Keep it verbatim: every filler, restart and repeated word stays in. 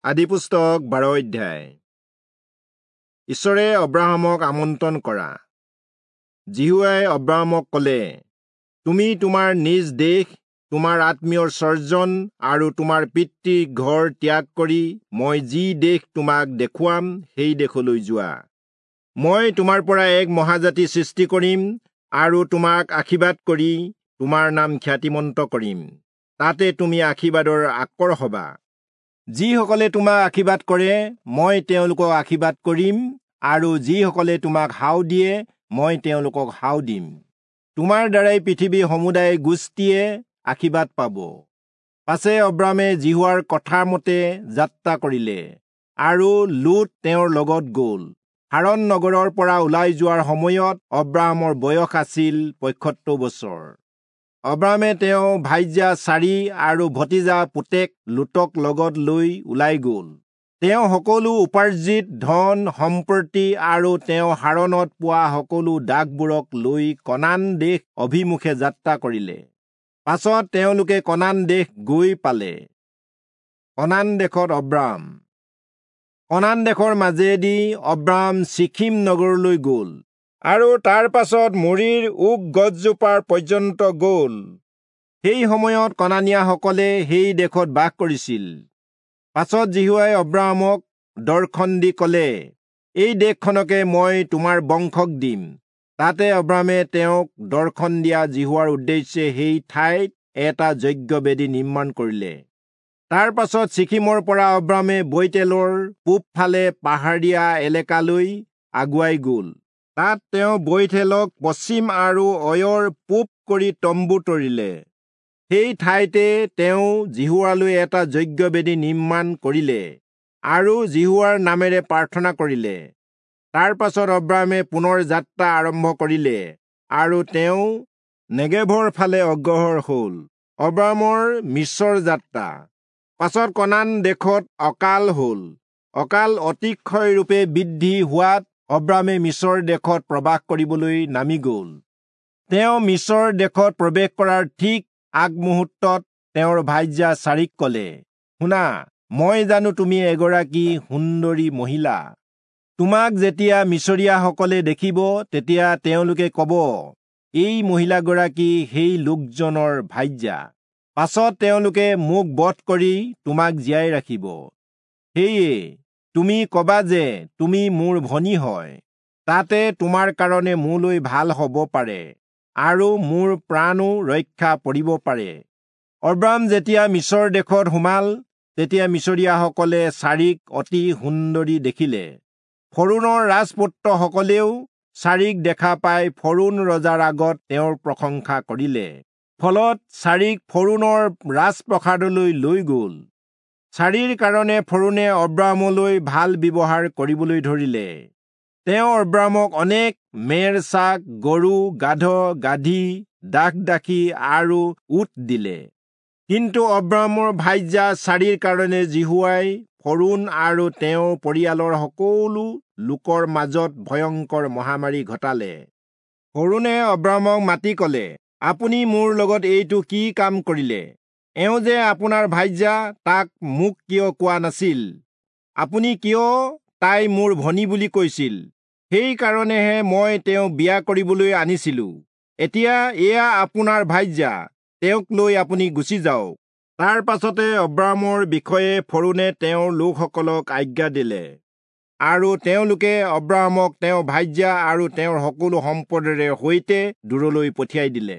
আদিপুস্তক বাৰ অধ্যায়। ঈশ্বৰে অব্ৰাহামক আমন্ত্ৰণ কৰা। যিহোৱাই অব্ৰাহামক ক'লে, তুমি তোমাৰ নিজ দেশ, তোমাৰ আত্মীয়ৰ স্বজন আৰু তোমাৰ পিতৃৰ ঘৰ ত্যাগ কৰি মই যি দেশ তোমাক দেখুৱাম সেই দেশলৈ যোৱা। মই তোমাৰ পৰা এক মহাজাতি সৃষ্টি কৰিম আৰু তোমাক আশীৰ্বাদ কৰি তোমাৰ নাম খ্যাতিমন্ত কৰিম, তাতে তুমি আশীৰ্বাদৰ আকৰ হবা। যিসকলে তোমাক আশীৰ্বাদ কৰে মই তেওঁলোকক আশীৰ্বাদ কৰিম, আৰু যিসকলে তোমাক হাও দিয়ে মই তেওঁলোকক হাও দিম। তোমাৰ দ্বাৰাই পৃথিৱীৰ সমুদায় গোষ্ঠীয়ে আশীৰ্বাদ পাব। পাছে অব্ৰাহামে যিহোৱাৰ কথা মতে যাত্ৰা কৰিলে, আৰু লোট তেওঁৰ লগত গ'ল। হাৰণ নগৰৰ পৰা ওলাই যোৱাৰ সময়ত অব্ৰাহামৰ বয়স আছিল পঁয়সত্তৰ বছৰ। অব্ৰাহামে তেওঁ ভাইজা চাৰি আৰু ভতিজা পুতেক লোটক লগত লৈ ওলাই গ'ল। তেওঁ সকলো উপাৰ্জিত ধন সম্পত্তি আৰু তেওঁ হাৰণত পোৱা সকলো দাসবোৰক লৈ কনান দেশ অভিমুখে যাত্ৰা কৰিলে। পাছত তেওঁলোকে কনান দেশ গৈ পালে। কনান দেশত অব্ৰাহাম। কনান দেশৰ মাজেদি অব্ৰাহাম চিখিম নগৰলৈ গ'ল, আৰু তাৰ পাছত মৰিৰ ওক গছজোপাৰ পৰ্যন্ত গ'ল। সেই সময়ত কনানীয়াসকলে সেই দেশত বাস কৰিছিল। পাছত যিহোৱাই অব্ৰাহামক দৰ্শন দি ক'লে, এই দেশখনকে মই তোমাৰ বংশক দিম। তাতে অব্ৰাহামে তেওঁক দৰ্শন দিয়া যিহোৱাৰ উদ্দেশ্যে সেই ঠাইত এটা যজ্ঞবেদী নিৰ্মাণ কৰিলে। তাৰ পাছত চিখিমৰ পৰা অব্ৰাহামে বৈতেলৰ পূবফালে পাহাৰীয়া এলেকালৈ আগুৱাই গ'ল। তাত তেওঁ বৈথেলক পশ্চিম আৰু অয়ৰ পূব কৰি তম্বু তৰিলে। সেই ঠাইতে তেওঁ যিহোৱালৈ এটা যজ্ঞবেদী নিৰ্মাণ কৰিলে আৰু যিহোৱাৰ নামেৰে প্ৰাৰ্থনা কৰিলে। তাৰ পাছত অব্ৰাহামে পুনৰ যাত্ৰা আৰম্ভ কৰিলে আৰু তেওঁ নেগেভৰ ফালে অগ্ৰসৰ হ'ল। অব্ৰাহামৰ মিচৰ যাত্ৰা। পাছত কনান দেশত অকাল হ'ল। অকাল অতিশয়ৰূপে বৃদ্ধি হোৱাত অব্ৰাহামে মিচৰ দেশত প্ৰবাস কৰিবলৈ নামি গ'ল। তেওঁ মিচৰ দেশত প্ৰৱেশ কৰাৰ ঠিক আগমুহূৰ্তত তেওঁৰ ভাইজা চাৰিক ক'লে, শুনা, মই জানো তুমি এগৰাকী সুন্দৰী মহিলা। তোমাক যেতিয়া মিচৰীয়াসকলে দেখিব তেতিয়া তেওঁলোকে ক'ব, এই মহিলাগৰাকী সেই লোকজনৰ ভাইজা। পাছত তেওঁলোকে মোক বধ কৰি তোমাক জীয়াই ৰাখিব। সেয়ে তুমি ক'বা যে তুমি মোৰ ভনী হয়, তাতে তোমাৰ কাৰণে মোলৈ ভাল হ'ব পাৰে আৰু মোৰ প্ৰাণো ৰক্ষা পৰিব পাৰে। অব্ৰাহাম যেতিয়া মিচৰ দেশত সোমাল, তেতিয়া মিচৰীয়াসকলে চাৰিক অতি সুন্দৰী দেখিলে। ফৰোণৰ ৰাজপুত্ৰসকলেও চাৰিক দেখা পাই ফৰোণ ৰজাৰ আগত তেওঁৰ প্ৰশংসা কৰিলে। ফলত চাৰিক ফৰোণৰ ৰাজপ্ৰসাদলৈ লৈ গ'ল। চাৰিৰ কাৰণে ফৰোণে অব্ৰাহামলৈ ভাল ব্যৱহাৰ কৰিবলৈ ধৰিলে। তেওঁ অব্ৰাহামক অনেক মেৰ ছাগ, গৰু, গাধ, গাধী, দাস দাসী আৰু উট দিলে। কিন্তু অব্ৰাহামৰ ভাইজা চাৰিৰ কাৰণে যিহোৱাই ফৰোণ আৰু তেওঁৰ পৰিয়ালৰ সকলো লোকৰ মাজত ভয়ংকৰ মহামাৰী ঘটালে। ফৰোণে অব্ৰাহামক মাতি ক'লে, আপুনি মোৰ লগত এইটো কি কাম কৰিলে? এওঁ যে আপোনাৰ ভাইজা, তাক মোক কিয় কোৱা নাছিল? আপুনি কিয় তাই মোৰ ভনী বুলি কৈছিল? সেইকাৰণেহে মই তেওঁক বিয়া কৰিবলৈ আনিছিলো। এতিয়া এয়া আপোনাৰ ভাইজা, তেওঁক লৈ আপুনি গুচি যাওক। তাৰ পাছতে অব্ৰাহামৰ বিষয়ে ফৰোণে তেওঁৰ লোকসকলক আজ্ঞা দিলে, আৰু তেওঁলোকে অব্ৰাহামক তেওঁৰ ভাইজা আৰু তেওঁৰ সকলো সম্পদেৰে সৈতে দূৰলৈ পঠিয়াই দিলে।